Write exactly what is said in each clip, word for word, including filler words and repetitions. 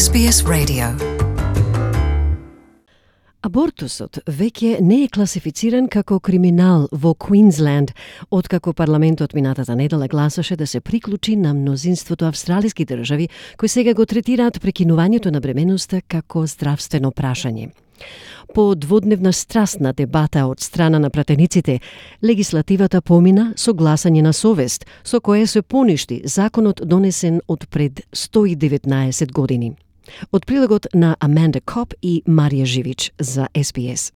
Ес Би Ес Radio. Абортусот веќе не е класифициран како криминал во Квинсленд, откако парламентот минатата недела гласаше да се приклучи на мнозинството австралиски држави кои сега го третираат прекинувањето на бременоста како здравствено прашање. По дводневна страстна дебата од страна на пратениците, легислативата помина со гласање на совест, со кое се поништи законот донесен од пред сто и деветнаесет години. Од прилогот на Аманда Коп и Марија Живич за Ес Би Ес.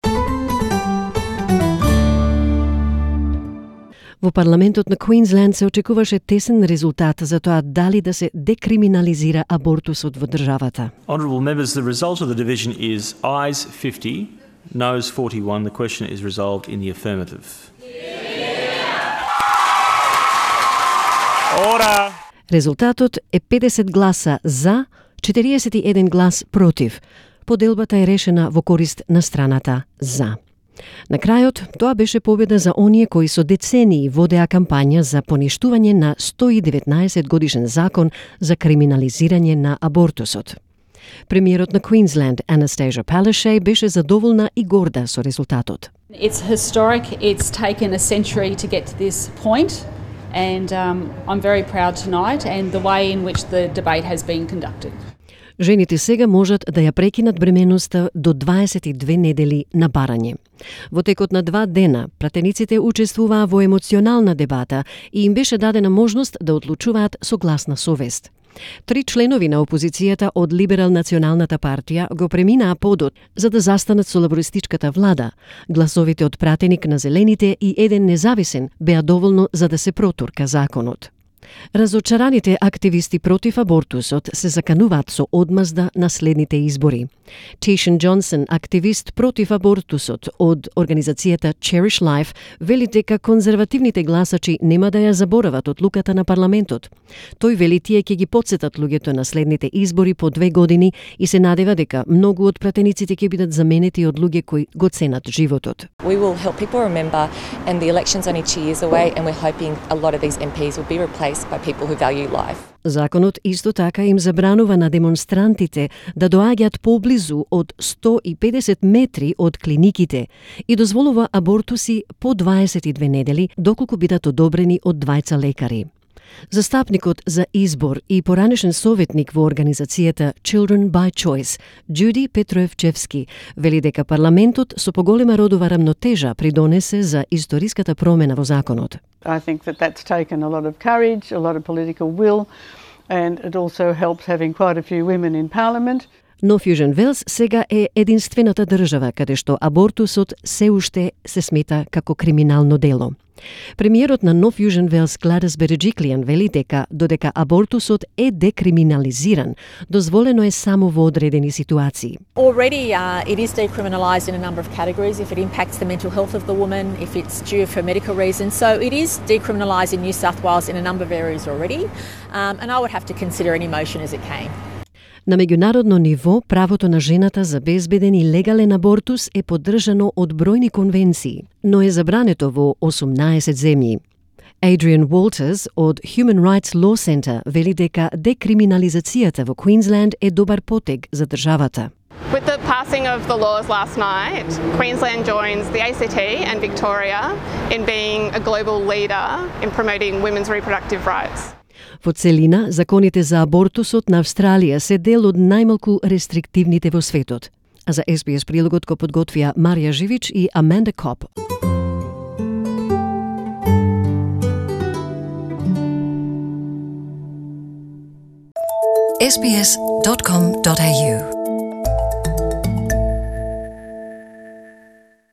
Во парламентот на Квинсленд се очекуваше тесен резултат за тоа дали да се декриминализира абортусот во државата. Honourable members, the result of the division is ayes fifty, noes forty-one. The question is resolved in the affirmative. Order. Резултатот е педесет гласа за, четириесет и еден глас против. Поделбата е решена во корист на страната за. На крајот, тоа беше победа за оние кои со децении водеа кампања за поништување на сто и деветнаесет годишен закон за криминализирање на абортусот. Премиерот на Квинсленд, Анастасия Palaszczuk, беше задоволна и горда со резултатот. It's historic. It's taken a century to get to this point, and um, I'm very proud tonight and the way in which the debate has been conducted. Жените сега можат да ја прекинат бременоста до дваесет и две недели на барање. Во текот на два дена, пратениците учествуваа во емоционална дебата и им беше дадена можност да одлучуваат со гласна совест. Три членови на опозицијата од Либерал-националната партија го преминаа подот за да застанат со лабористичката влада. Гласовите од пратеник на Зелените и еден независен беа доволно за да се протурка законот. Разочараните активисти против абортусот се закануваат со одмазда на следните избори. Тишен Джонсон, активист против абортусот од организацијата Cherish Life, вели дека конзервативните гласачи нема да ја заборават одлуката на парламентот. Тој вели тие ќе ги потсетат луѓето на следните избори по две години и се надева дека многу од пратениците ќе бидат заменети од луѓе кои го ценат животот. We will help people remember, and the election's only two years away, and we're hoping a lot of these M Ps will be replaced by people who value life. Законот исто така им забранува на демонстрантите да доаѓаат поблизу од сто и педесет метри од клиниките и дозволува абортуси по дваесет и две недели доколку бидат одобрени од двајца лекари. Застапникот за избор и поранешен советник во организацијата Children by Choice, Джуди Петроевчевски, вели дека парламентот со поголема родова рамнотежа придонесе за историската промена во законот. I think that that's taken a lot of courage, a lot of political will, and it also helps having quite a few women in parliament. Но Фјужен Велс сега е единствената држава каде што абортусот се уште се смета како криминално дело. Премиерот на Нов Јужен Велс, Гладис Береджиклијан, вели дека додека абортусот е декриминализиран, дозволено е само во одредени ситуации. Already uh, it is decriminalised in a number of categories if it impacts the mental health of the woman, if it's due for medical reasons. So it is decriminalised in New South Wales in a number of areas already, um, and I would have to consider any motion as it came. На меѓународно ниво, правото на жената за безбеден и легален абортус е поддржано од бројни конвенции, но е забрането во осумнаесет земји. Adrian Walters од Human Rights Law Center вели дека декриминализацијата во Квинсленд е добар потег за државата. With the passing of the laws last night, Queensland joins the A C T and Victoria in being a global leader in promoting women's reproductive rights. Во целина, законите за абортусот на Австралија се дел од најмалку рестриктивните во светот. А за Ес Би Ес прилогот го подготвија Марија Живич и Аманда Коп. ес би ес dot com dot a u